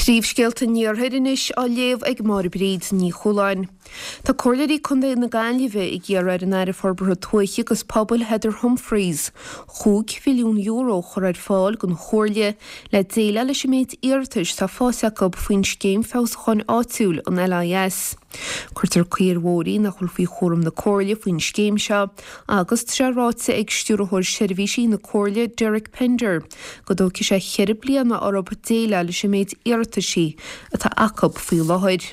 Príomhscéalta an Iarthair anois á léamh ag Máire Bríd Ní Chualáin. Tá Comhairleoirí Contae na Gaillimhe ag iarraidh ar an Aire Forbartha Tuaithe agus Pobail Heather Humphreys €5 mhilliún a chur ar fáil don Chomhairle le déileáil leis an méid iarratais atá faighte acu faoin Scéim Feabhsúcháin Áitiúil, an LIS. Cuirtear caoi ar bhóithrí nach bhfuil faoi chúram na Comhairle faoin scéim seo agus tá sé ráite ag Stiúrthóir Seirbhísí na Comhairle Derek Pender go dtógfaidh sé cheithre bliana orthu déileáil leis an méid iarrataisí atá acu faoi láthair.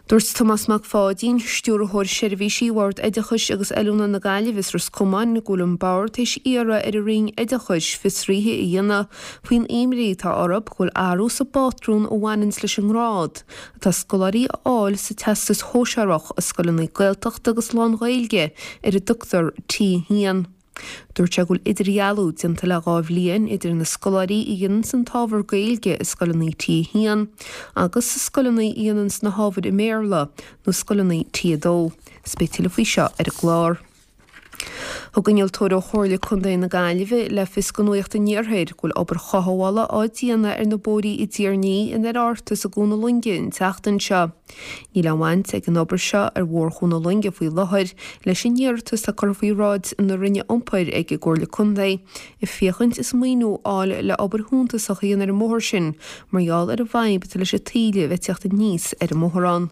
Dúirt Tomás Mac Pháidín, Stiúrthóir Seirbhísí Bhord Oideachais agus Oiliúna na Gaillimhe is Ros Comáin go bhfuil an Bord théis iarraidh ar an Roinn Oideachais fiosruithe a dhéanamh faoin imní atá orthu go bhfuil athrú sa bpátrún a bhaineanns leis an ngrád atá scoláirí a fháil sa Teastas Shóisearach i scoileanna Gaeltachta agus lán-Ghaeilge ar a dtugtar T1. Dúirt sé go bhfuil idirdhealú déanta le 2 bhliain idir na scoláirí a dhéananns an t-ábhar Gaeilge i scoileanna T1 agus scoileanna a dhéananns na hábhair i mBéarla nó scoileanna T2. Is beidh tuilleadh faoi seo ar an gclár. Thug innealtóir ó Chomhairle Contae na Gaillimhe le fios do Nuacht an Iarthair go bhfuil obair chothabhála á déanamh ar na bóithrí i dTír an Fhia, in Oireadh Ort is i gCuan na Loinge an tseachtain seo. Níl aon bhaint ag an obair seo ar Bhóthar Chuan na Loinge faoi láthair leis an iarratas atá curtha faoi bhráid na Roinne Iompair ag an gComhairle Contae ag féachaint is maoiniú a fháil le obair shuntasach a dhéanamh ar an mbóthar sin mar gheall ar an bhfadhb atá leis an taoille a bheith ag teacht aníos ar an mbóthar ann.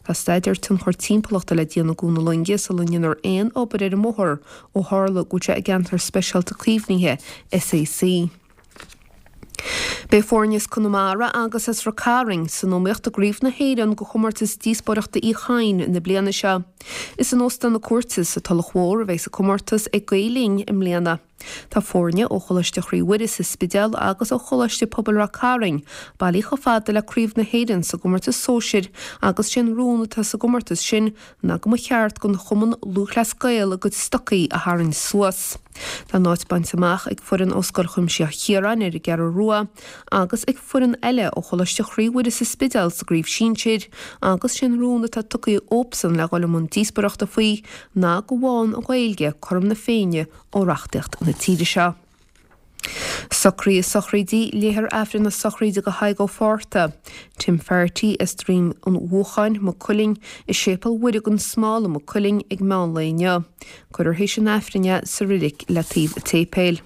Tá staidéar tionchar timpeallachta le déanamh i gCuan na Loinge sula ndéanfar aon obair ar an mbóthar ó tharla go bhfuil sé i gCeantar Speisialta Caomhnaithe, SAC. Beidh foirne as Conamara agus as Ráth Cairn san iomaíocht i gCraobh na hÉireann de chomórtas díospóireachta Uí Chadhain na bliana seo. Is in Óstán na Cúirte sa Tulach Mhór a bheidh an comórtas ag Gael Linn i mbliana. Tá foirne ó Choláiste Chroí Mhuire sa Spidéal agus ó Choláiste Pobail Ráth Cairn bailithe chomh fada le Craobh na hÉireann sa gcomórtas sóisir agus sé an rún atá sa gcomórtas sin ná go mba cheart don Chumann Lúthchleas Gael a gcuid stocaí a tharraingt suas. Tá a n-áit bainte amach ag foireann ó Scoil Chuimsitheach Chiaráin ar an gCeathrú Rua agus ag foireann eile ó Choláiste Chroí Mhuire sa Spidéal sa gcraobh sinsir agus sé an rún atá tugtha dhóibhsean le dhul i mbun díospóireachta faoi ná go bhfaigheann an Ghaeilge cothrom na Féinne ó reachtaíocht na tíre seo. Socruithe sochraide, Léifear Aifreann na sochraide do Thadhg Ó Fátharta, Tim Faherty as Droim an Bhuacháin, Maigh Cuilinn, i Séipéal Mhuire gan Smál i Maigh Cuilinn ag meán lae inniu. Cuirfear théis an Aifrinn é sa reilig le taobh an tséipéil.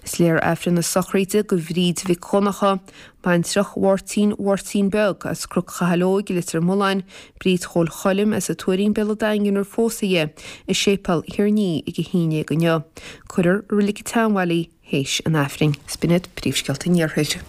Is léifear Aifreann na sochraide do Bhríd Mhic Dhonncha, baintreach Mháirtín Mháirtín Beag as Cnoc Chathail Óig i Leitir Mealláin, Bríd Chóil Choilm as an Tuairín Béal an Daingin ar phósadh í, i Séipéal Thír an Fhia ag 11 inniu. Cuirfear i Reilig an tSeanbhaile í théis an Aifrinn. 'S b'in iad príomhscéalta an Iarthair.